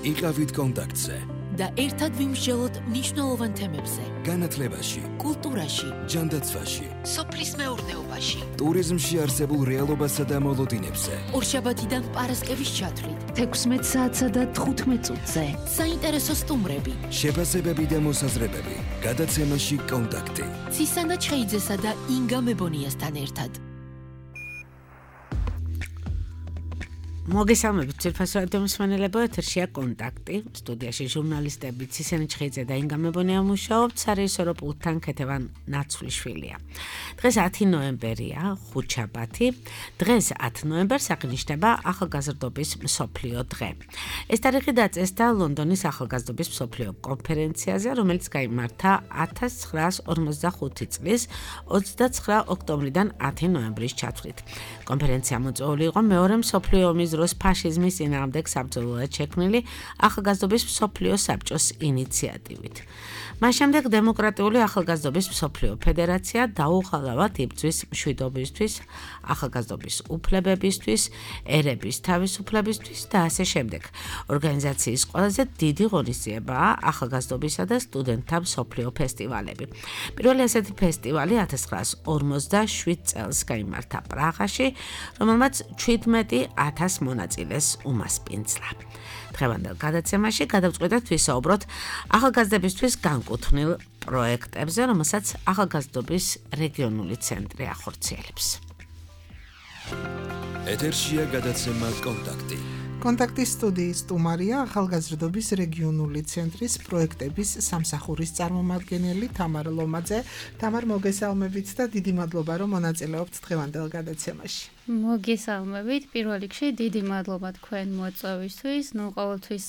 იყავით კონტაქტზე და ერთად ვიმსჯელოთ მნიშვნელოვან თემებზე. განათლებაში, კულტურაში, ჯანდაცვაში, სოფლის მეურნეობაში, ტურიზმში არსებულ რეალობასა და მოლოდინებზე. ორშაბათიდან პარასკევის ჩათვლით 16 საათსა და 15 წუთზე. საინტერესო სტუმრები, შეფასებები და მოსაზრებები. გადაცემაში კონტაქტი. ცისანა ჩხეიძესა და ინგა მებონიასთან ერთად. მოგესალმებით ძვირფას რადიო მსმენელებო, ეთერშია კონტაქტი. სტუდიაში ჟურნალისტები ცისანა ჩხეიძე და ინგა მებონია მუშაობთ, სარეჟისორო პულტთან ქეთევან ნაცვლიშვილია. დღეს 10 ნოემბერია, ხუთშაბათი. დღეს 10 ნოემბერს აღნიშნება ახალგაზრდობის მსოფლიო დღე. ეს თარიღი დაწესდა ლონდონის ახალგაზრდობის მსოფლიო კონფერენციაზე, რომელიც გაიმართა 1945 წლის 29 ოქტომბრიდან 10 ნოემბრის ჩათვლით. კონფერენცია მოწვეული იყო მეორე მსოფლიო ომის დროს ფაშიზმის წინააღმდეგ საბრძოლოად შექმნილი ახალგაზრდობის მსოფლიო საბჭოს ინიციატივით. მას შემდეგ დემოკრატიული ახალგაზრდობის მსოფლიო ფედერაცია დაუხალავად იბრძვის მშვიდობისთვის, ახალგაზრდობის უფლებებისთვის, ერების თავისუფლებისთვის და ასე შემდეგ. ორგანიზაციის ყველაზე დიდი ღონისძიებაა ახალგაზრდობისა და სტუდენტთა მსოფლიო ფესტივალები. პირველი ასეთი ფესტივალი 1957 წელს გაიმართა პრაღაში, რომელმაც 17,000 მონაწილეს უმასპინძლა. დღევანდელ გადაცემაში გადავწყვიტეთ ვისაუბროთ ახალგაზრდებისთვის განკუთვნილ პროექტებზე, რომელსაც ახალგაზრდობის რეგიონული ცენტრი ახორციელებს. ეთერშია გადაცემა კონტაქტი. კონტაქტის სტუდიის სტუმარია ახალგაზრდობის რეგიონული ცენტრის პროექტების სამსახურის წარმომადგენელი თამარ ლომაძე. თამარ, მოგესალმებით და დიდი მადლობა, რომ მონაწილეობთ დღევანდელ გადაცემაში. მოგესალმებით. პირველ რიგში დიდი მადლობა თქვენ მოწვევისთვის. ყოველთვის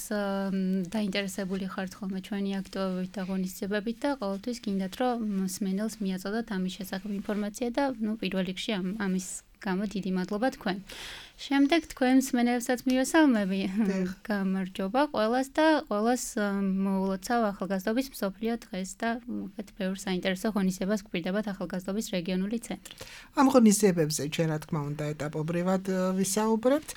დაინტერესებული ხართ ხოლმე ჩვენი აქტივობებით და ღონისძიებებით და ყოველთვის გინდათ, რომ მსმენელს მიაწოდოთ ამის შესახებ ინფორმაცია და პირველ რიგში ამის გამო დიდი მადლობა თქვენ. შემდეგ თქვენ მსმენელებსაც მივესალმები. გამარჯობა ყველას და ყველას მოულოცავ ახალგაზრდობის მსოფლიო დღეს და ბევრ საინტერესო ღონისძიებას გვპირდებათ ახალგაზრდობის რეგიონული ცენტრი. ამ ღონისძიებებზე ჩვენ რა თქმა უნდა ეტაპობრივად ვისაუბრებთ.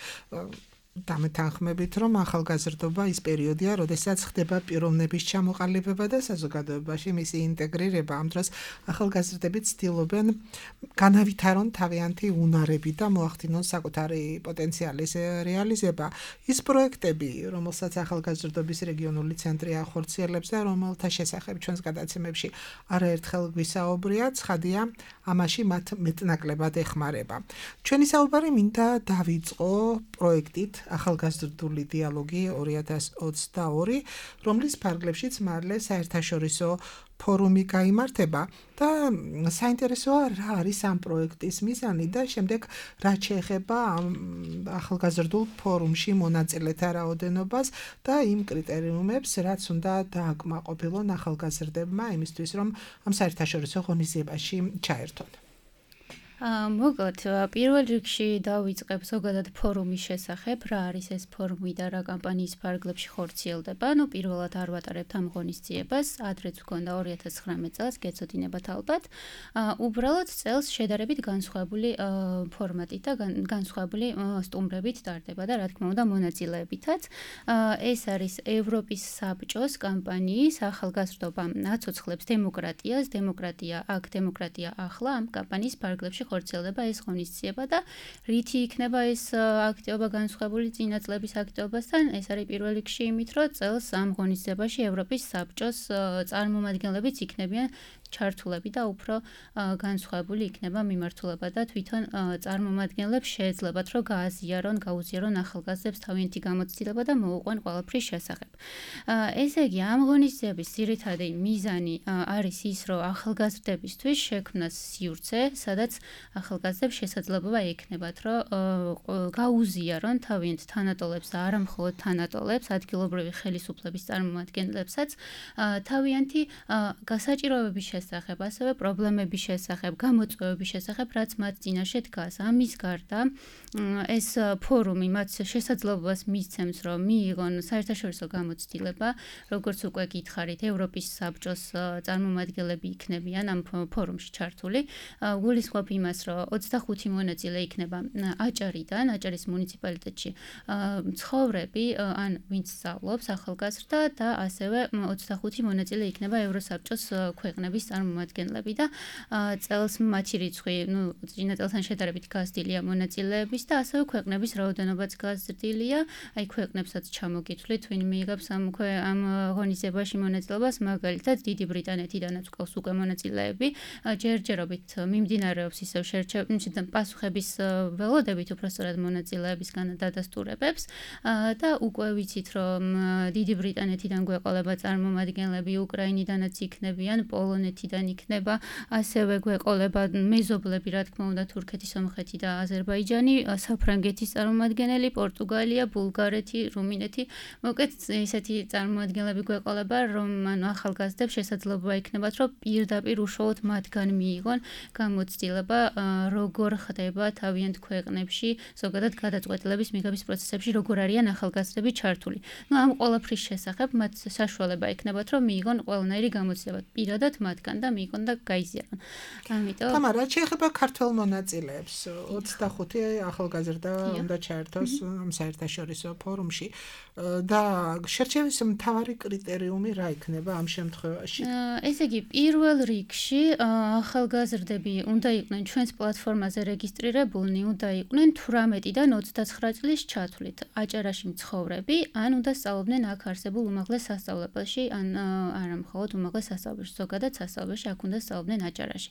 დამეთანხმებით, რომ ახალგაზრდობა ის პერიოდია, როდესაც ხდება პიროვნების ჩამოყალიბება და საზოგადოებაში მისი ინტეგრირება. ამ დროს ახალგაზრდები ცდილობენ განავითარონ თავიანთი უნარები და მოახდინონ საკუთარი პოტენციალის რეალიზება. ის პროექტები, რომელსაც ახალგაზრდობის რეგიონული ცენტრი ახორციელებს და რომელთა შესახებ ჩვენს გადაცემებში არაერთხელ გვისაუბრია, ცხადია, ამაში მათ მეტნაკლებად ეხმარება. ჩვენი საუბარი მინდა დავიწყო პროექტით ახალგაზრდული დიალოგი 2022, რომლის ფარგლებშიც მალე საერთაშორისო ფორუმი გაიმართება და საინტერესოა რა არის ამ პროექტის მიზანი და შემდეგ რაც შეეხება ამ ახალგაზრდულ ფორუმში მონაწილეთა რაოდენობას და იმ კრიტერიუმებს, რაც უნდა დააკმაყოფილონ ახალგაზრდებმა იმისთვის, რომ ამ საერთაშორისო ღონისძიებაში ჩაერთონ. მოკლედ, პირველ რიგში დავიწყებ ზოგადად ფორუმის შესახებ, რა არის ეს ფორუმი და რა კამპანიის ფარგლებში ხორციელდება. პირველად არ ვატარებთ ამ ღონისძიებას, ადრეც გვქონდა 2019 წელს, გეცოდინებათ ალბათ. უბრალოდ წელს შედარებით განსხვავებული ფორმატით და განსხვავებული სტუმრებით ტარდება და რა თქმა უნდა მონაწილეებითაც. ეს არის ევროპის საბჭოს კამპანიის ახალგაზრდობა აცოცხლებს დემოკრატიას, დემოკრატია აქ, დემოკრატია ახლა ამ კამპანიის ფარგლებში ხორციელდება ეს ღონისძიება და რითი იქნება ეს აქტივობა განსხვავებული წინა წლების აქტივობასთან? ეს არის პირველ რიგში იმით, რომ წელს ამ ღონისძიებაში ევროპის საბჭოს წარმომადგენლებიც იქნებიან ჩართულები და უფრო განსხვავებული იქნება მიმართულება და თვითონ წარმომადგენლებს შეეძლებათ, რომ გაუზიარონ ახალგაზრდებს თავიანთი გამოცდილება და მოუყვან ყველაფრის შესახებ. ესე იგი, ამ ღონისძიების ძირითადი მიზანი არის ის, რომ ახალგაზრდებისთვის შექმნას სივრცე, სადაც ახალგაზრდებს შესაძლებლობა ექნებათ, რომ გაუზიარონ თავიანთ თანატოლებს და არა მხოლოდ თანატოლებს, ადგილობრივი ხელისუფლების წარმომადგენლებსაც თავიანთი გასაჭიროებების შესახებ, ასევე პრობლემების შესახებ, გამოწვევების შესახებ, რაც მათ წინაშე დგას. ამის გარდა ეს ფორუმი მათ შესაძლებლობას მისცემს, რომ მიიღონ საერთაშორისო გამოცდილება, როგორც უკვე გითხარით, ევროპის საბჭოს წარმომადგენლები იქნებიან ამ ფორუმში ჩართული. გულისხმობ იმას, რომ 25 მონაწილე იქნება აჭარიდან, აჭარის მუნიციპალიტეტში ცხოვრები, ან ვინც სწავლობს ახალგაზრდა და ასევე 25 მონაწილე იქნება ევროსაბჭოს ქვეყნების წარმომადგენლები და წელს მათი რიცხვი, წინა წელთან შედარებით გაზრდილია მონაწილეების და ასევე ქვეყნების რაოდენობაც გაზრდილია. აი ქვეყნებსაც ჩამოგითვლით, ვინ მიიღებს ამ ღონისძიებაში მონაწილეობას, მაგალითად დიდი ბრიტანეთიდანაც ყავს უკვე მონაწილეები. ჯერჯერობით მიმდინარეობს ისევ პასუხების ველოდებით უბრალოდ მონაწილეებისგან დადასტურებებს და უკვე ვიცით, რომ დიდი ბრიტანეთიდან გვეყოლება წარმომადგენლები, უკრაინიდანაც იქნებიან, პოლონეთიდან იქნება, ასევე გვეყოლება მეზობლები, რა თქმა უნდა, თურქეთი, სომხეთი და აზერბაიჯანი, საფრანგეთის წარმომადგენელი, პორტუგალია, ბულგარეთი, რუმინეთი. მოკლედ ისეთი წარმომადგენლები გვეყოლება, რომ ახალგაზრდებს შესაძლებლობა იქნებათ, რომ პირდაპირ უშუალოდ მათგან მიიღონ გამოცდილება, როგორ ხდება თავიანთ ქვეყნებში, ზოგადად გადაწყვეტილების მიღების პროცესებში, როგორ არიან ახალგაზრდები ჩართული. ამ ყველაფრის შესახებ მათ საშუალება იქნებათ, რომ მიიღონ ყველანაირი გამოცდილება პირადად მათგან და მიიღონ და გაიზიარონ. ამიტომ თამარა, შეეხება ქართველ მონაწილეებს, 25 ახალგაზრდა უნდა ჩაერთოს ამ საერთაშორისო ფორუმში და შერჩევის მთავარი კრიტერიუმი რა იქნება ამ შემთხვევაში? ესე იგი, პირველ რიგში ახალგაზრდები უნდა იყვნენ ჩვენს პლატფორმაზე რეგისტრირებულნი, უნდა იყვნენ 18-დან 29 წლის ჩათვლით, აჭარაში მცხოვრები, ან უნდა სწავლობდნენ აქ არსებულ უმაღლეს სასწავლებელში, ან არა მხოლოდ უმაღლეს სასწავლებელში, ზოგადად სასწავლებელში აქ უნდა სწავლობდნენ აჭარაში.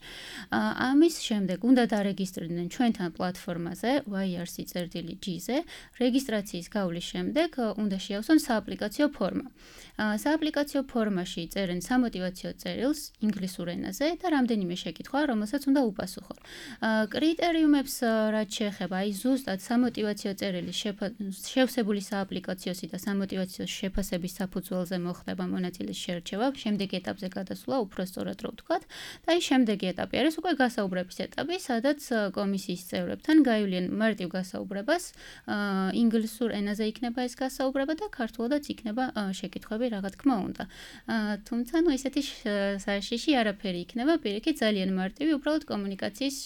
ამის შემდეგ უნდა დარეგისტრირდნენ ჩვენთან პლატფორმაზე YRC-G-ზე, რეგისტრაციის გავლის შემდეგ უნდა შეავსონ სააპლიკაციო ფორმა. სააპლიკაციო ფორმაში წერენ სამოტივაციო წერილს ინგლისურ ენაზე და რამდენიმე შეკითხვა, რომელსაც უნდა უპასუხონ. კრიტერიუმებს რაც შეეხება, აი ზუსტად სამოტივაციო წერილის შევსებული სააპლიკაციოსი და სამოტივაციო შეფასების საფუძველზე მოხდება მონაწილის შერჩევა, შემდეგ ეტაპზე გადასვლა, უფრო სწორად რო ვთქვათ, და აი შემდეგი ეტაპი არის უკვე გასაუბრების ეტაპი, სადაც კომისიის წევრებთან გაივლიან მარტივ გასაუბრებას, ინგლისურ ენაზე იქნება ეს გასაუბრება და ქართულადაც იქნება შეკითხვები, რა თქმა უნდა. თუმცა ისეთი საშიში არაფერი იქნება, პირიქით ძალიან მარტივი, უბრალოდ კომუნიკაციის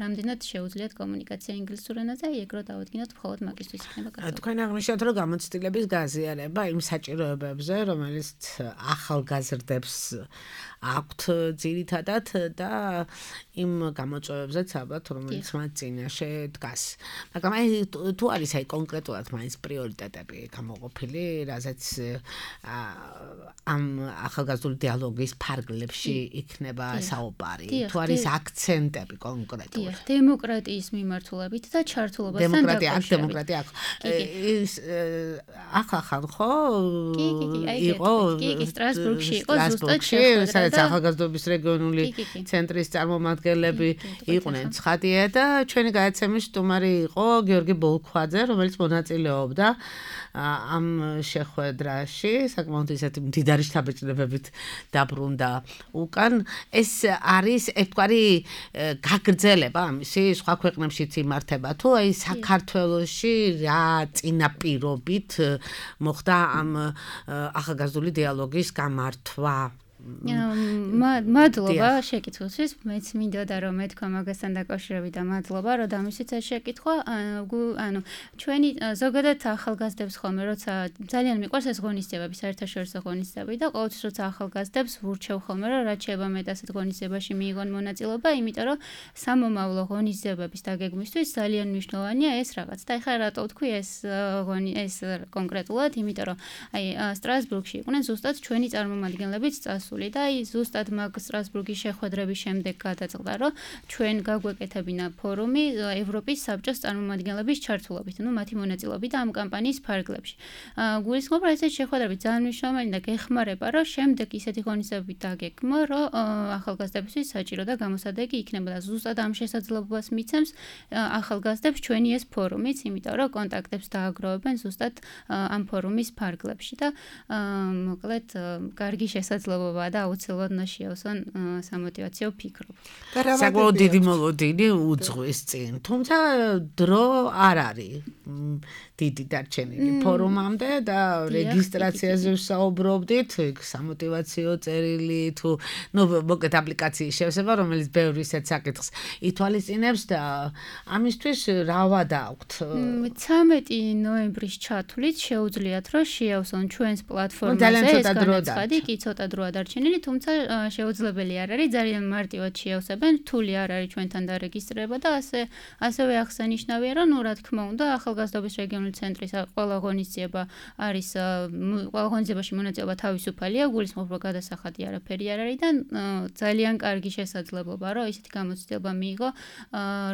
რამდენად შეუძლიათ კომუნიკაცია ინგლისურ ენაზე, აი ეგ რო დავადგინოთ, მხოლოდ მაგისთვის იქნება გასაუბრება. თქვენ აღნიშნეთ, რომ გამოცდილების გაზიარება იმ საჭიროებებზე, რომელიც ახალგაზრდებს აქვთ ძირითადად და იმ გამოწვევებზეც ალბათ, რომელიც მათ წინაშე დგას. მაგრამ აი თუ არის აი კონკრეტულად მაინც პრიორიტეტები გამოყოფილი, რაზეც ამ ახალგაზრდული დიალოგის ფარგლებში იქნება საუბარი, თუ არის აქცენტები კონკრეტულად. დემოკრატიის მიმართულებით და ჩართულობასთან დაკავშირებით. დემოკრატია აქ. ის ახალ ხო? იყო სტრასბურგში, იყო ზუსტად შეხვედრა. სადაც ახალგაზრდობის რეგიონული ცენტრის წარმომადგენლები იყვნენ ცხადია და ჩვენი გადაცემის სტუმარი იყო გიორგი ბოლქვაძე, რომელიც მონაწილეობდა ამ შეხვედრაში, საკმაოდ ისეთი მდიდარი შთაბეჭდილებებით დაბრუნდა უკან. ეს არის ერთგვარი გაგრძელება ამისი სხვა ქვეყნებშიც იმართება, თუ აი საქართველოში რა წინაპირობით მოხდა ამ ახალგაზრდული დიალოგის გამართვა? მადლობა შეკითხვისთვის. მეც მინდოდა რომ მეთქვა მაგასთან დაკავშირებით და მადლობა რომ დამისვით ეს შეკითხვა. ანუ ჩვენი ზოგადად ახალგაზრდებს ხოლმე როცა ძალიან მიყვარს ეს ღონისძიებები, საერთაშორისო ღონისძიებები და ყოველთვის როცა ახალგაზრდებს ვურჩევ ხოლმე რომ რაც შეიძლება მეტ ასეთ ღონისძიებაში მიიღონ მონაწილეობა, იმიტომ რომ სამომავლო ღონისძიებების დაგეგმვისთვის ძალიან მნიშვნელოვანია ეს რაღაც. და ეხლა რატო ვთქვი ეს კონკრეტულად, იმიტომ რომ აი სტრასბურგში იყვნენ ზუსტად ჩვენი წარმომადგენლებიც წასული და აი ზუსტად მაგ სტრასბურგის შეხვედრების შემდეგ გადაწყდა, რომ ჩვენ გაგვეკეთებინა ფორუმი ევროპის საბჭოს წარმომადგენლების ჩართულობით, მათი მონაწილეობით ამ კამპანიის ფარგლებში. გულისხმობ, რომ ესეთი შეხვედრები ძალიან მნიშვნელოვანი და გეხმარება, რომ შემდეგ ისეთი ღონისძიებები დაგეგმო, რომ ახალგაზრდებისთვის საჭირო და გამოსადეგი იქნება და ზუსტად ამ შესაძლებლობას მიცემს ახალგაზრდებს ჩვენი ეს ფორუმიც, იმიტომ რომ კონტაქტებს დააგროვებენ ზუსტად ამ ფორუმის ფარგლებში და მოკლედ კარგი შესაძლებლობა მნიშვნელოვანია და აუცილებლად უნდა შეავსონ სამოტივაციო ფიქრობა. საკმაოდ დიდი მოლოდინი უძღვის წინ, თუმცა დრო არ არის დიდი დარჩენილი ფორუმამდე და რეგისტრაციაზე ვსაუბრობდით, სამოტივაციო წერილი თუ მოკლედ აპლიკაციის შევსება, რომელიც ბევრი ისეთ საკითხს ითვალისწინებს და ამისთვის რა ვადა აქვთ? 13 ნოემბრის ჩათვლით შეუძლიათ რომ შეავსონ ჩვენს პლატფორმაზე ეს განაცხადი, კი ცოტა დროა დარჩენილი, თუმცა შეუძლებელი არ არის, ძალიან მარტივად შეავსებენ, რთული არ არის ჩვენთან დარეგისტრირება და ასევე აღსანიშნავია, რომ რა თქმა უნდა, ახალგაზრდობის რეგიონული ცენტრის ყველა ღონისძიება არის ყველა ღონისძიებაში მონაწილეობა თავისუფალია, გულისხმობ რომ გადასახადი არაფერი არ არის და ძალიან კარგი შესაძლებლობა, რომ ისეთი გამოცდილება მიიღო,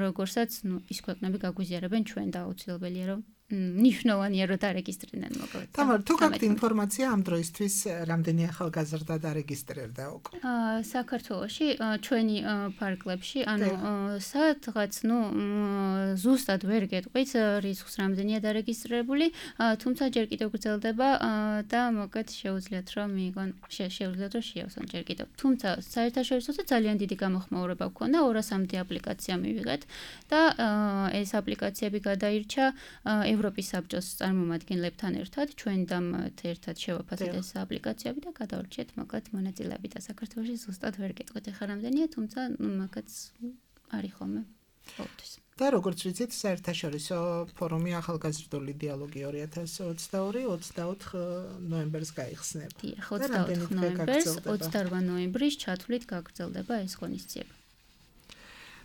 როგორცაც ის ქვეყნები გაგვიზიარებენ ჩვენ და აუცილებელია რომ ნიშნავენია რომ დარეგისტრირდნენ მოკლედ. თამარ, თუ გაქვთ ინფორმაცია ამ დროისთვის რამდენი ახალგაზრდა დარეგისტრირდა უკვე? საქართველოში ჩვენი პარკლებში, ანუ სადღაც, ზუსტად ვერ გეტყვით რიცხვს რამდენია დარეგისტრირებული, თუმცა ჯერ კიდევ გრძელდება და მოკლედ შეუძლიათ რომ მიიღონ, შეუძლიათ რომ შეავსონ ჯერ კიდევ. თუმცა საერთაშორისოზე ძალიან დიდი გამოხმაურება გქონდა, 200-მდე აპლიკაცია მივიღეთ და ეს აპლიკაციები გადაირჩა ევროპის საბჭოს წარმომადგენლებთან ერთად, ჩვენთან ერთად შევაფასეთ ეს აპლიკაციები და გადავრჩიეთ მოკლედ მონაწილეები და საქართველოში ზუსტად ვერ გეტყვით ახლა რამდენია, თუმცა მაგაც არის ხოლმე ყოველთვის. და როგორც ვიცით, საერთაშორისო ფორუმი ახალგაზრდული დიალოგი 2022-24 ნოემბერს გაიხსნება. 24 ნოემბერს, 28 ნოემბრის ჩათვლით გაგრძელდება ეს ღონისძიება.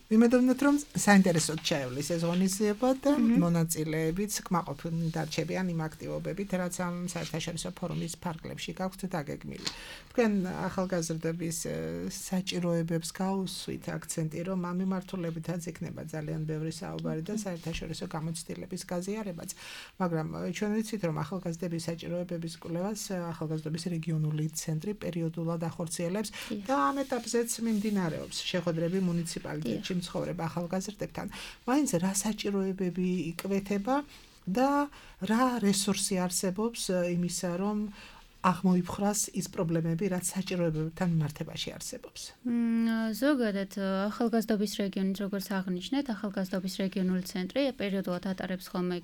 ვიმედოვნებთ, რომ საინტერესოდ ჩაივლის ეს ღონისძიება და მონაწილეებიც კმაყოფილნი დარჩებიან იმ აქტივობებით, რაც ამ საერთაშორისო ფორუმის ფარგლებში გაქვთ დაგეგმილი. თქვენ ახალგაზრდების საჭიროებებს გაუსვით აქცენტი, რომ ამ მიმართულებითაც იქნება ძალიან ბევრი საუბარი და საერთაშორისო გამოცდილების გაზიარებაც, მაგრამ ჩვენ ვიცით, რომ ახალგაზრდების საჭიროებების კვლევას ახალგაზრდობის რეგიონული ცენტრი პერიოდულად ახორციელებს და ამ ეტაპზეც მიმდინარეობს შეხვედრები მუნიციპალიტეტში მცხოვრებ ახალგაზრდებთან. მაინც რა საჭიროებები იკვეთება და რა რესურსი არსებობს იმისა, რომ აღმოიფხრას ის პრობლემები, რაც საჭიროებებთან მიმართებაში არსებობს. ზოგადად ახალგაზრდობის რეგიონით, როგორც აღნიშნეთ, ახალგაზრდობის რეგიონული ცენტრი პერიოდულად ატარებს ხოლმე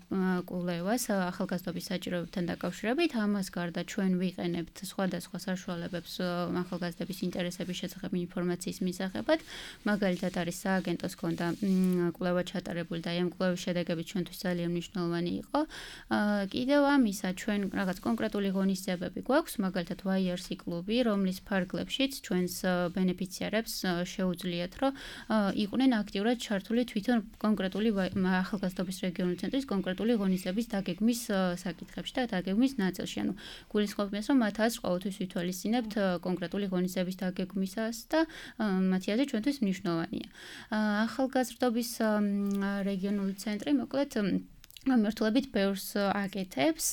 კვლევას ახალგაზრდობის საჭიროებებთან დაკავშირებით. ამას გარდა ჩვენ ვიყენებთ სხვადასხვა საშუალებებს ახალგაზრდების ინტერესების შესახებ ინფორმაციის მისაღებად. მაგალითად არის სააგენტოს კონდა კვლევა ჩატარებული და ამ კვლევის შედეგები ჩვენთვის ძალიან მნიშვნელოვანი იყო. კიდევ ამისა ჩვენ რაღაც კონკრეტული ღონისძიებები გვაქვს, მაგალითად YRC კლუბი, რომლის ფარგლებშიც ჩვენს ბენეფიციარებს შეუძლიათ, რომ იყვნენ აქტიურად ჩართული თვითონ კონკრეტული ახალგაზრდობის რეგიონული ცენტრის კონკრეტული ღონისძიების დაგეგმის საკითხებში და დაგეგმის ნაწილში. ანუ გულისხმობ იმას, რომ მათ აზრს ყოველთვის ვითვალისწინებთ კონკრეტული ღონისძიების დაგეგმისას და მათი აზრი ჩვენთვის მნიშვნელოვანია. ახალგაზრდობის რეგიონული ცენტრი მოკლედ მმართველობით ბევრს აკეთებს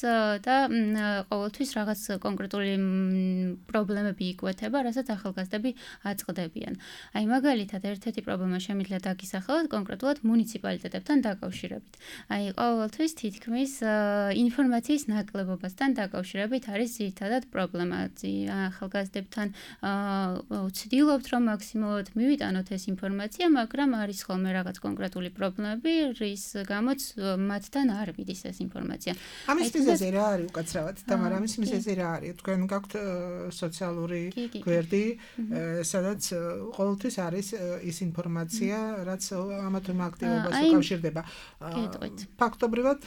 და ყოველთვის რაღაც კონკრეტული პრობლემები იკვეთება, რასაც ახალგაზრდები აწყდებიან. აი მაგალითად, ერთ-ერთი პრობლემა შემიძლია დაგისახელოთ კონკრეტულად მუნიციპალიტეტებთან დაკავშირებით. აი ყოველთვის თითქმის ინფორმაციის ნაკლებობასთან დაკავშირებით არის ძირითადად პრობლემა. ახალგაზრდებთან ვცდილობთ, რომ მაქსიმალურად მივიტანოთ ეს ინფორმაცია, მაგრამ არის ხოლმე რაღაც კონკრეტული პრობლემები, რის გამოც მათთან არ მიდის ეს ინფორმაცია. ამის მიზეზი რა არის უკაცრავად? თამარ, ამის მიზეზი რა არის? თქვენ გაქვთ სოციალური გვერდი, სადაც ყოველთვის არის ის ინფორმაცია, რაც ამა თუ იმ აქტივობას უკავშირდება. ფაქტობრივად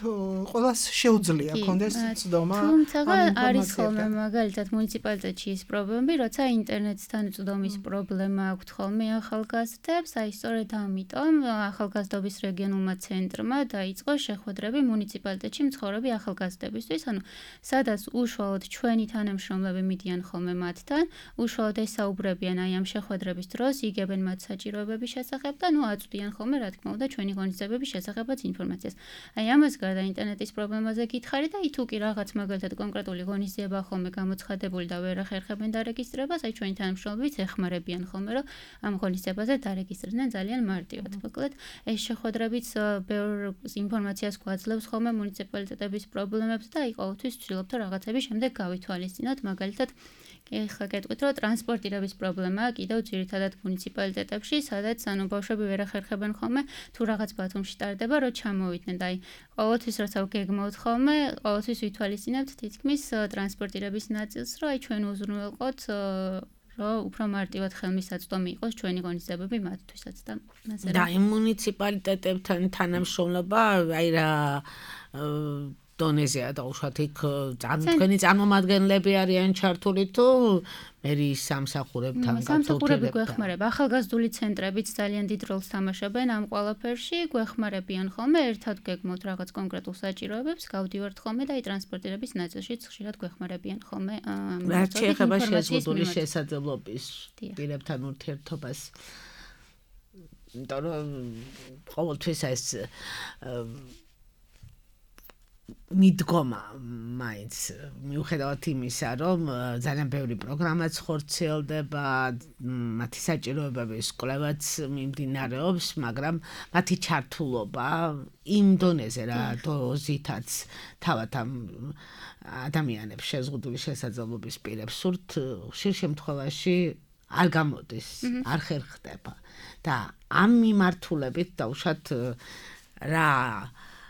ყველას შეუძლია კონდეს ცდომა. თუმცა არის ხოლმე მაგალითად მუნიციპალიტეტში ის პრობლემები, როცა ინტერნეტთან წვდომის პრობლემა აქვთ ხოლმე ახალგაზრდებს, აი სწორედ ამიტომ ახალგაზრდობის რეგიონულმა ცენტრმა დაიწყო შეხვედრები მუნიციპალიტეტში მცხოვრები ახალგაზრდებისთვის, ანუ სადაც უშუალოდ ჩვენი თანამშრომლები მიდიან ხოლმე მათთან, უშუალოდ ესაუბრებიან აი ამ შეხვედრების დროს, იგებენ მათ საჭიროებების შესახებ და აწვდიან ხოლმე რა თქმა უნდა ჩვენი ღონისძიებების შესახებაც ინფორმაციას. აი ამას გარდა ინტერნეტის პრობლემაზე გითხარი და თუ კი რაღაც მაგალითად კონკრეტული ღონისძიება ხოლმე გამოცხადებული და ვერ ახერხებენ დარეგისტრებას, აი ჩვენი თანამშრომლებიც ეხმარებიან ხოლმე რომ ამ ღონისძიებაზე დარეგისტრირდნენ ძალიან მარტივად. მოკლედ ეს შეხვედრებიც ბევრ ინფორმაციას აძლევს ხოლმე მუნიციპალიტეტების პრობლემებს და აი ყოველთვის ვცდილობთ რომ რაღაცები შემდეგ გავითვალისწინოთ, მაგალითად ეხლა გეტყვით რომ ტრანსპორტირების პრობლემაა კიდევ ძირითადად მუნიციპალიტეტებში, სადაც ანუ ბავშვები ვერ ახერხებენ ხოლმე თუ რაღაც ბათუმში ტარდება, რომ ჩამოვიდნენ და აი ყოველთვის როცა გეგმავთ ხოლმე, ყოველთვის ვითვალისწინებთ თითქმის ტრანსპორტირების ნაწილს, რომ აი ჩვენ უზრუნველყოთ რომ უფრო მარტივად ხელმისაწვდომი იყოს ჩვენი ღონისძიებები მათთვისაც და ასე და იმ მუნიციპალიტეტებთან თანამშრომლობა აი რა დონეზეა დაუშვათ იქ თქვენი წარმომადგენლები არიან ჩართული თუ მერის სამსახურებთან სამსახურები გვეხმარება ახალგაზრდული ცენტრებიც ძალიან დიდ როლს თამაშობენ ამ ყველაფერში გვეხმარებიან ხოლმე ერთად გეგმოთ რაღაც კონკრეტულ საჭიროებებს გავდივართ ხოლმე და აი ტრანსპორტირების ნაწილშიც ხშირად გვეხმარებიან ხოლმე რაც შეეხება შეზღუდული შესაძლებლობის პირებთან ურთიერთობას იმიტომ რომ ყოველთვის ეს მიდგომა მაინც მიუხედავად იმისა, რომ ძალიან ბევრი პროგრამაც ხორციელდება, მათი საჭიროებების კვლევაც მიმდინარეობს, მაგრამ მათი ჩართულობა იმ დონეზე რა დოზითაც თავად ამ ადამიანებს შეზღუდული შესაძლებლობის პირებს სურთ ხშირ შემთხვევაში არ გამოდის, არ ხერხდება და ამ მიმართულებით დაუშვათ რა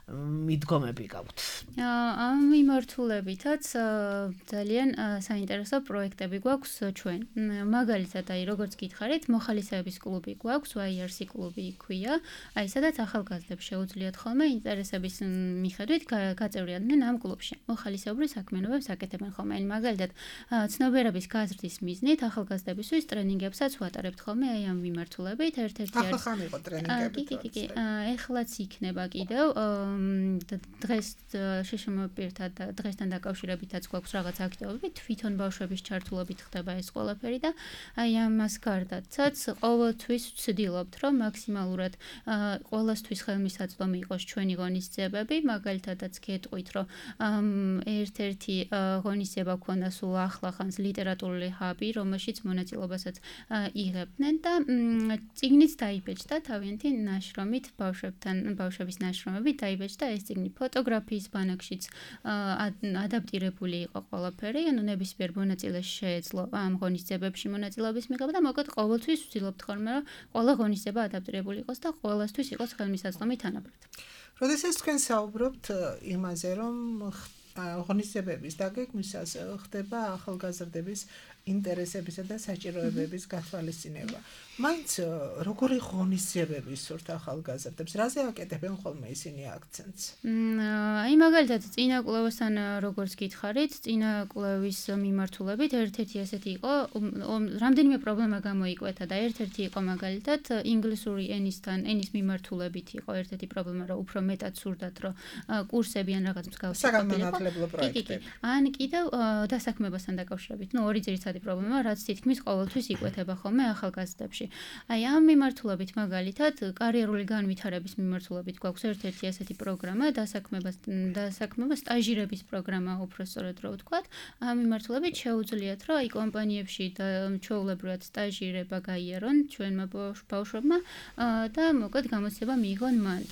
მიდგომები გაქვთ. ამ მიმართულებითაც ძალიან საინტერესო პროექტები გვაქვს ჩვენ. მაგალითად, აი როგორც გითხარით, მოხალისეების კლუბი გვაქვს, YRC კლუბი ქვია. აი სადაც ახალგაზრდებს შეუძლიათ ხოლმე ინტერესების მიხედვით გაწევრიანდნენ ამ კლუბში. მოხალისეობრივ საქმიანობებს აკეთებენ ხოლმე. აი მაგალითად, ცნობიერების გაზრდის მიზნით ახალგაზრდებისთვის ტრენინგებსაც ვატარებთ ხოლმე აი ამ მიმართულებით. ერთ-ერთი არის ახლა იყო ტრენინგები. კი. ეხლაც იქნება კიდევ დღეს შეშმოპირთა და დღესთან დაკავშირებითაც გვაქვს რაღაც აქტივობები, თვითონ ბავშვების ჩართულობით ხდება ეს ყველაფერი და აი ამას გარდაცაც ყოველთვის ვცდილობთ, რომ მაქსიმალურად ყოველთვის ხელმისაწვდომი იყოს ჩვენი ღონისძიებები, მაგალითადაც გეტყვით, რომ ერთ-ერთი ღონისძიება გვქონდა სულ ახლახანს ლიტერატურული ჰაბი, რომელშიც მონაწილეობასაც იღებდნენ და წიგნიც დაიბეჭდა თავიანთი ნაშრომით ბავშვების ნაშრომებით დაიბეჭდა და ეს წიგნი ფოტოგრაფიის ბანაკშიც ადაპტირებული იყო ყველაფერი, ანუ ნებისმიერ მონაწილეს შეეძლო ამ ღონისძიებებში მონაწილეობის მიღება და მოკლედ ყოველთვის ვცდილობთ ხოლმე, რომ ყველა ღონისძიება ადაპტირებული იყოს და ყოველთვის იყოს ხელმისაწვდომი თანაბრად. როდესაც თქვენ საუბრობთ იმაზე, რომ ღონისძიებების დაგეგმვისას ხდება ახალგაზრდების ინტერესებისა და საჭიროებების გათვალისწინება. მაინც როგორი ღონისძიებები სურთ ახალგაზრდებს? რაზე აკეთებენ ხოლმე ისინი აქცენტს? აი მაგალითად წინა კვლევასთან როგორც გითხარით, წინა კვლევის მიმართულებით ერთ-ერთი ესეთი იყო, რამდენიმე პრობლემა გამოიკვეთა და ერთ-ერთი იყო მაგალითად ინგლისური ენის მიმართულებით იყო ერთ-ერთი პრობლემა, რომ უფრო მეტად სურდათ, რომ კურსები ან რაღაც მსგავსი საგანმანათლებლო პროექტები. ან კიდევ დასაქმებასთან დაკავშირებით, ორი ძირითადი პრობლემა, რაც თითქმის ყოველთვის იკვეთება ხოლმე ახალგაზრდებში. აი ამ მიმართულებით მაგალითად კარიერული განვითარების მიმართულებით გვაქვს ერთ-ერთი ასეთი პროგრამა, დასაქმება სტაჟირების პროგრამა უფრო სწორედ რო ვთქვათ. ამ მიმართულებით შეუძლიათ, რომ აი კომპანიებში და ჩვეულებრივად სტაჟირება გაიარონ ჩვენმა ბავშვებმა და მოკლედ გამოცდილება მიიღონ მანდ.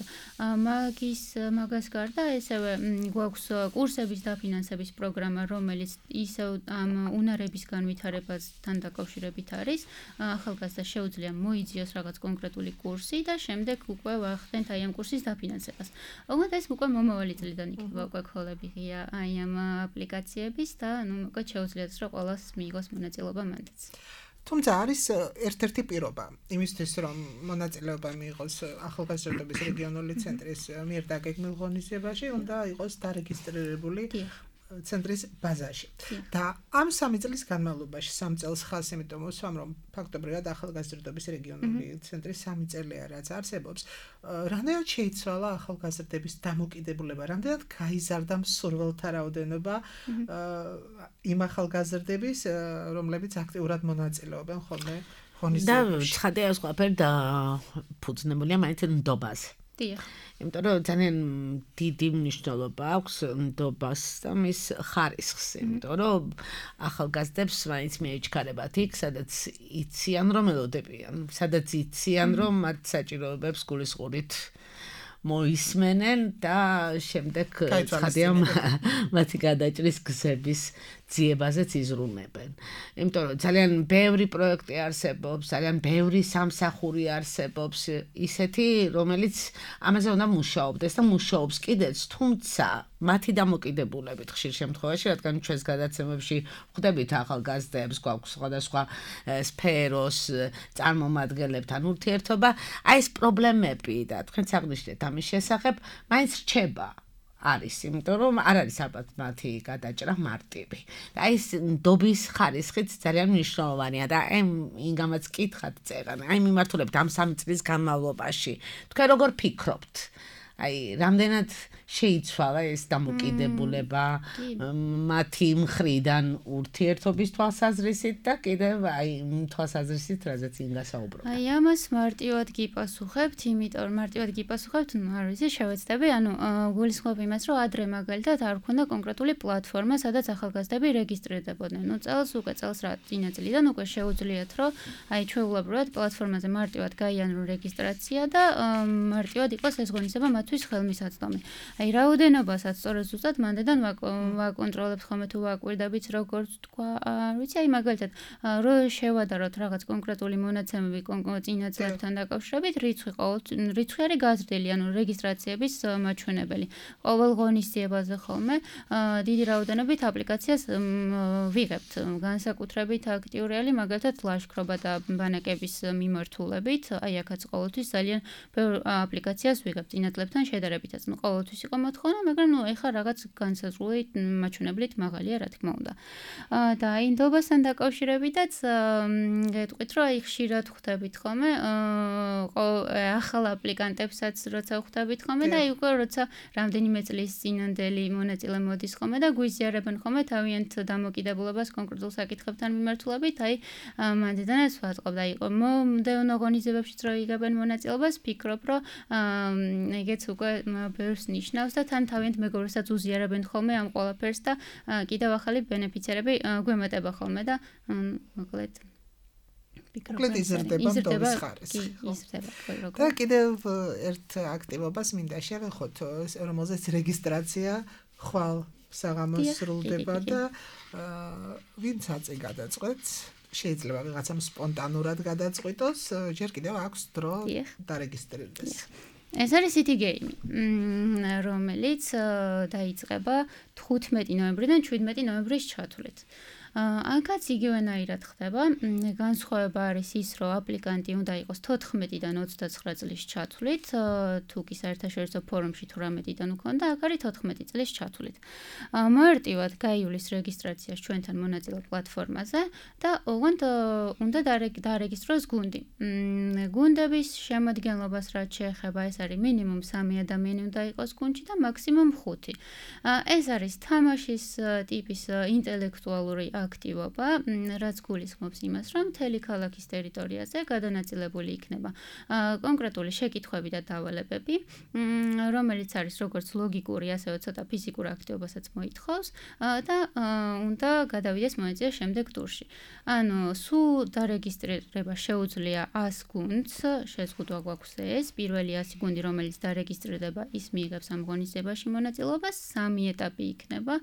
მაგას გარდა ესევე გვაქვს კურსების დაფინანსების პროგრამა, რომელიც ისევ ამ უნარების განვითარებასთან დაკავშირებით არის. ახალგაზრდა შეუძლია მოიძიოს რაღაც კონკრეტული კურსი და შემდეგ უკვე ვახდენთ აი ამ კურსის დაფინანსებას. ოღონდ ეს უკვე მომავალი წლიდან იქნება უკვე ქოლები ღია აი ამ აპლიკაციების და ნუ მოკლედ შეუძლიათ რომ ყველას მიიღოს მონაწილეობა მანდაც. თუმცა არის ერთ-ერთი პირობა იმისთვის რომ მონაწილეობა მიიღოს ახალგაზრდობის რეგიონული ცენტრის მიერ დაგეგმილ ღონისძიებაში, უნდა იყოს დარეგისტრირებული ცენტრის ბაზაში. და ამ 3 წლის განმავლობაში 3 წელს ხალხს იმიტომ მოსვამ, რომ ფაქტობრივად ახალგაზრდობის რეგიონული ცენტრი 3 წელია რაც არსებობს, რამდენად შეიცვალა ახალგაზრდების დამოკიდებულება, რამდენად გაიზარდა მსურველთა რაოდენობა იმ ახალგაზრდების, რომლებიც აქტიურად მონაწილეობენ ხოლმე ღონისძიებაში. და ცხადია ეს ყველაფერი და ფუძნებულია მაინც ნდობაზე. იმიტომ რომ ძალიან დიდი მნიშვნელობა აქვს ნდობას და მის ხარისხს, იმიტომ რომ ახალგაზრდებს მაინც მიეჩქარებათ იქ, სადაც იციან რომ ელოდებიან, სადაც იციან რომ მათ საჭიროებებს გულისყურით მოისმენენ და შემდეგ ცხადია მათი გადაჭრის გზების ძიებაზეც იზრუნებენ. იმიტომ რომ ძალიან ბევრი პროექტი არსებობს, ძალიან ბევრი სამსახური არსებობს, ისეთი, რომელიც ამაზე უნდა მუშაობდეს და მუშაობს კიდეც, თუმცა მათი დამოკიდებულებით ხშირ შემთხვევაში, რადგან ჩვენს გადაცემებში ვხვდებით ახალგაზრდებს, გვაქვს სხვადასხვა სფეროს წარმომადგენლებთან ურთიერთობა, აი ეს პრობლემები და თქვენც აღნიშნეთ ამის შესახებ, მაინც რჩება. არის, იმიტომ რომ არ არის ალბათ მათი გადაჭრა მარტივი. და ეს ნდობის ხარისხიც ძალიან მნიშვნელოვანია და იმგამაც კითხავთ წერან, აი მიმართულებით ამ 3 წლის განმავლობაში. თქვენ როგორ ფიქრობთ? აი, რამდენად შეიცვალა ეს დამოკიდებულება მათი მხრიდან ურთიერთობის თვალსაზრისით და კიდევ აი თვალსაზრისით, რაზეც ინგასაუბრობ. აი, ამას მარტივად გიპასუხებთ, იმიტომ რომ მარტივად გიპასუხებთ, არ ვიცი, შევეცდები, გულისხმობ იმას, რომ ადრე მაგალითად არ ქონდა კონკრეტული პლატფორმა, სადაც ახალგაზრდები რეგისტრირდებოდნენ. წელს რა წინა წლიდან უკვე შეუძლიათ, რომ აი ჩვეულებრივად პლატფორმაზე მარტივად გაიანრო რეგისტრაცია და მარტივად იყოს ეს ღონისება მათთვის ხელმისაწვდომი. აი რაოდენობასაც სწორედ ზუსტად მანდედან ვაკონტროლებთ ხოლმე თუ ვაკვირდებით როგორც თქვა, არ ვიცი, აი მაგალითად რო შევადაროთ რაღაც კონკრეტული მონაცემები წინა წლებთან დაკავშირებით, რიცხვი არის გაზრდილი, რეგისტრაციების მაჩვენებელი. ყოველ ღონისძიებაზე ხოლმე დიდი რაოდენობით აპლიკაციას ვიღებთ, განსაკუთრებით აქტიურია მაგალითად ლაშქრობა და ბანაკების მიმართულებით, აი აქაც ყოველთვის ძალიან ბევრ აპლიკაციას ვიღებთ წინა წლებთან შედარებითაც. ყოველთვის იყო მოთხოვნა, მაგრამ ეხლა რაღაც განსაზღვრული მაჩვენებლით მაღალია, რა თქმა უნდა. და აი ნდობასთან დაკავშირებითაც გეტყვით, რომ აი ხშირად ხვდებით ხოლმე ახალ აპლიკანტებსაც როცა ხვდებით ხოლმე და აი უკვე როცა რამდენიმე წლის წინანდელი მონაწილე მოდის ხოლმე და გვიზიარებენ ხოლმე თავიანთ დამოკიდებულებას კონკრეტულ საკითხებთან მიმართულებით, აი მანდიდანაც ვატყობ და იყო მომდევნო ღონისძიებებშიც რო იღებენ მონაწილეობას, ფიქრობ, რომ ეგეც უკვე ბევრს ნიშნავს და თან თავიანთ მეგობრებსაც უზიარებენ ხოლმე ამ ყველაფერს და კიდევ ახალი ბენეფიცერები გვემატება ხოლმე და მოკლედ მოკლედ იზრდება ნდობის ხარისხი. და კიდევ ერთ აქტივობას მინდა შევეხოთ, რომელზეც რეგისტრაცია ხვალ საღამოს სრულდება და ვინც აწი გადაწყვეტს, შეიძლება ვიღაცამ სპონტანურად გადაწყვიტოს, ჯერ კიდევ აქვს დრო დარეგისტრირდეს. ეს არის City Game, რომელიც დაიწყება 15 ნოემბრიდან 17 ნოემბრის ჩათვლით. აქაც იგივენაირად ხდება, განსხვავება არის ის, რომ აპლიკანტი უნდა იყოს 14-დან 29 წლის ჩათვლით, თუ კი საერთაშორისო ფორუმში თუ რამედიდან უქონდა, აქ არის 14 წლის ჩათვლით. მარტივად გაივლის რეგისტრაციას ჩვენთან მონაწილე პლატფორმაზე და ოღონდ უნდა დარეგისტროს გუნდი. გუნდების შემადგენლობას რაც შეეხება, ეს არის მინიმუმ 3 ადამიანი უნდა იყოს გუნდში და მაქსიმუმ 5. ეს არის თამაშის ტიპის ინტელექტუალური აქტივობა, რაც გულისხმობს იმას, რომ მთელი ქალაქის ტერიტორიაზე გადანაწილებული იქნება კონკრეტული შეკითხვები და დავალებები, რომელიც არის როგორც ლოგიკური, ასევე ცოტა ფიზიკურ აქტივობასაც მოითხოვს და უნდა გადავიდეს მონაწილე შემდეგ ტურში. სულ დარეგისტრირება შეუძლია 100 გუნდს, შეზღუდვა გვაქვს ეს, პირველი 100 გუნდი, რომელიც დარეგისტრირდება, ის მიიღებს ამ ღონისძიებაში მონაწილეობას, 3 ეტაპი იქნება,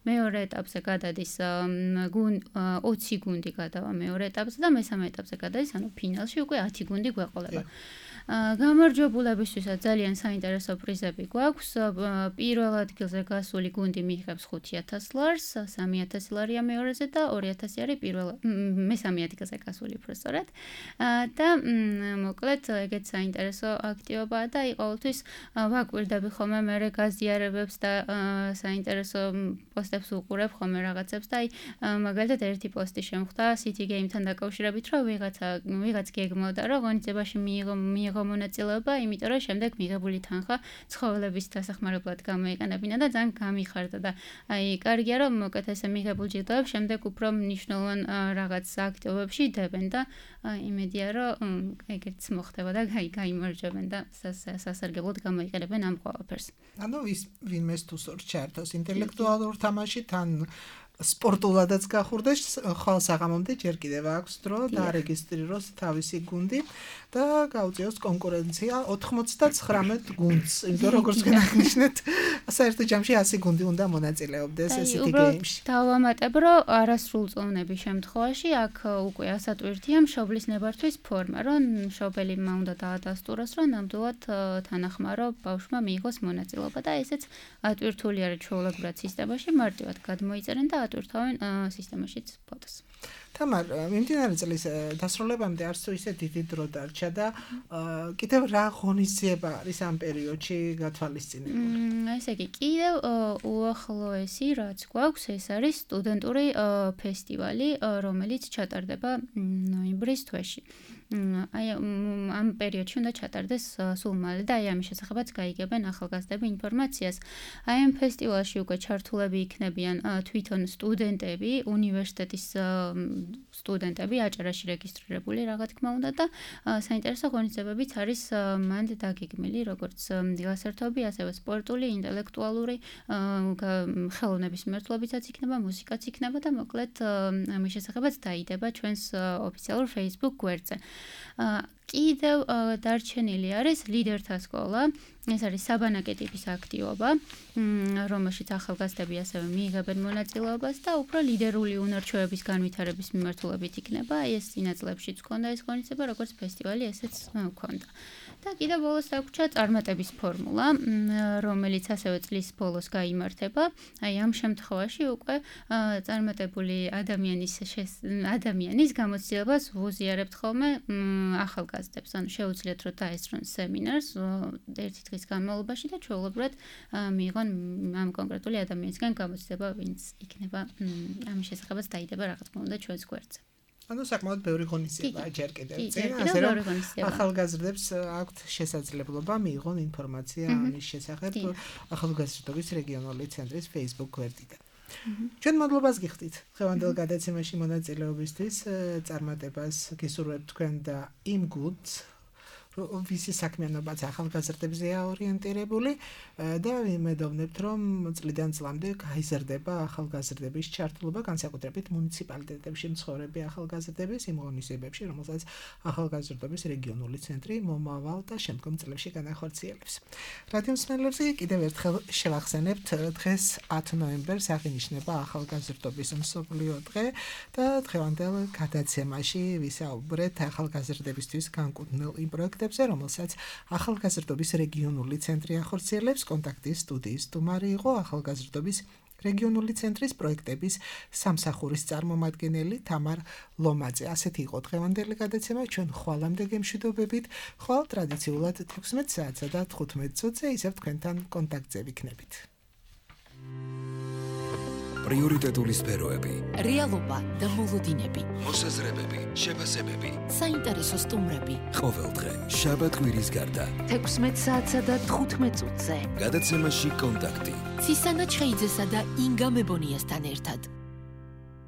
მეორე ეტაპზე გადადის 20 გუნდი გადავა მეორე ეტაპზე და მესამე ეტაპზე გადადის, ფინალში უკვე 10 გუნდი გვეყოლება. გამარჯვებულებისთვისაც ძალიან საინტერესო პრიზები გვაქვს. პირველ ადგილზე გასული გუნდი მიიღებს $5,000, $3,000 მეორეზე და $2,000 არის მესამე ადგილზე გასული პროფესორად. და მოკლედ ეგეც საინტერესო აქტივობაა და ყოველთვის ვაკვირდები ხოლმე მე გაზიარებებს და საინტერესო პოსტებს უყურებ ხოლმე რაღაცებს და მაგალითად ერთი პოსტი შემხვდა City Game-თან დაკავშირებით, რომ ვიღაც გეგმავდა, რომ ღონისძიებაში მიიღო მონაწილეობა, იმიტომ რომ შემდეგ მიღებული თანხა ცხოველების დასახმარებლად გამოიყენებინა და ძალიან გამიხარდა და აი კარგია რომ მოკეთ ესე მიღებულ ჯილდოებს შემდეგ უფრო მნიშვნელოვან რაღაც აქტივობებში დებენ და იმედია რომ ეგეც მოხდება და გაიმარჯვებენ და სასარგებლოდ გამოიყენებენ ამ ყველაფერს. ის ვინმეს თუ სურს ჩართოს ინტელექტუალურ თამაში თან სპორტულადაც გახურდეს, ხვალ საღამომდე ჯერ კიდევ აქვს დრო დაარეგისტრიროს თავისი გუნდი და გაუწიოს კონკურენცია 99 გუნდს. იმიტომ როგორც განაგნიშნეთ, საერთო ჯამში 100 გუნდი უნდა მონაწილეობდეს ესეთი გეიმში. დავამატებ, რომ არასრულ წონების შემთხვევაში აქ უკვე ასატვირთია მშობლის ნებართვის ფორმა, რომ მშობელმა უნდა დაადასტუროს, რომ ნამდვილად თანახმარო ბავშვმა მიიღოს მონაწილეობა და ესეც ატვირთული არის ჩვეულებრივად სისტემაში, მარტივად გადმოიწერენ და ატვირთავენ სისტემაშიც ფოტოს. თამარ, მიმდინარე წლის დასრულებამდე არც თუ ისე დიდი დრო დარჩა და კიდევ რა ღონისძიება არის ამ პერიოდში გათვალისწინებული? ესე იგი, კიდევ უახლოესი რაც გვაქვს, ეს არის სტუდენტური ფესტივალი, რომელიც ჩატარდება ნოემბრის თვეში. აი ამ პერიოდში უნდა ჩატარდეს სულ მალე და აი ამის შესახებაც გაიგებენ ახალგაზრდები ინფორმაციას. აი ამ ფესტივალში უკვე ჩართულები იქნებიან თვითონ სტუდენტები, უნივერსიტეტის სტუდენტები, აჭარაში რეგისტრირებული რა თქმა უნდა და საინტერესო ღონისძიებებიც არის მანდ დაგეგმილი, როგორც გასართობი, ასევე სპორტული, ინტელექტუალური, ხელოვნების მიმართულებითაც იქნება, მუსიკაც იქნება და მოკლედ ამის შესახებაც დაიდება ჩვენს ოფიციალურ Facebook გვერდზე. კიდევ დარჩენილი არის ლიდერთა სკოლა. ეს არის საბანაკე ტიპის აქტივობა, რომელშიც ახალგაზრდები ასევე მიიღებენ მონაწილეობას და უფრო ლიდერული უნარჩვევების განვითარების მიმართულებით იქნება. ეს წინა წლებშიც ჰქონდა ეს ღონისძიება, როგორც ფესტივალი, ესეც ჰქონდა. და კიდევ ბოლოს დაგვრჩა წარმატების ფორმულა, რომელიც ასევე წლის ბოლოს გაიმართება. აი ამ შემთხვევაში უკვე წარმატებული ადამიანის გამოცდილებას ვუზიარებთ ხოლმე ახალგაზრდებს. ანუ შეუძლიათ რომ დაესწრონ სემინარს ერთი დღის განმავლობაში და ჩვეულებრივად მიიღონ ამ კონკრეტული ადამიანისგან გამოცდილება, ვინც იქნება ამის შესახებაც დაიდება რა თქმა უნდა ჩვენს გვერდზე. ანუ საკმაოდ ბევრი ღონისძიებაა ჯერ კიდევ წინ, ასე რომ ახალგაზრდებს აქვთ შესაძლებლობა მიიღონ ინფორმაცია ამის შესახებ ახალგაზრდობის რეგიონული ცენტრის Facebook გვერდიდან. ჩვენ მადლობას გიხდით დღევანდელ გადაცემაში მონაწილეობისთვის, წარმატებას გისურვებთ თქვენ და იმ გუნდს, ვისი საქმიანობაც ახალგაზრდებზეა ორიენტირებული და ვიმედოვნებთ, რომ წლიდან წლამდე გაიზრდება ახალგაზრდების ჩართულობა, განსაკუთრებით მუნიციპალიტეტებში მცხოვრები ახალგაზრდების იმ ღონისძიებებში, რომელსაც ახალგაზრდობის რეგიონული ცენტრი მომავალ და შემდგომ წლებში განახორციელებს. რადიო მსმენელებს კიდევ ერთხელ შევახსენებთ, დღეს 10 ნოემბერს აღინიშნება ახალგაზრდობის მსოფლიო დღე და დღევანდელ გადაცემაში ვისაუბრეთ ახალგაზრდებისთვის განკუთვნილ იმ პროექტებზე, რომელსაც ახალგაზრდობის რეგიონული ცენტრი ახორციელებს. კონტაქტის სტუდიის სტუმარი იყო ახალგაზრდობის რეგიონული ცენტრის პროექტების სამსახურის წარმომადგენელი თამარ ლომაძე. ასეთი იყო დღევანდელი გადაცემა. ჩვენ ხვალამდე გემშვიდობებით, ხვალ ტრადიციულად 16 საათსა და 15 წუთზე ისევ თქვენთან კონტაქტზე ვიქნებით. პრიორიტეტული სფეროები, რეალობა და მოლოდინები, მოსაზრებები, შეფასებები, საინტერესო სტუმრები. ყოველდღე შაბათ-კვირის გარდა 16 საათსა და 15 წუთზე. გადაცემაში კონტაქტი. ცისანა ჩხეიძესა და ინგა მებონიასთან ერთად.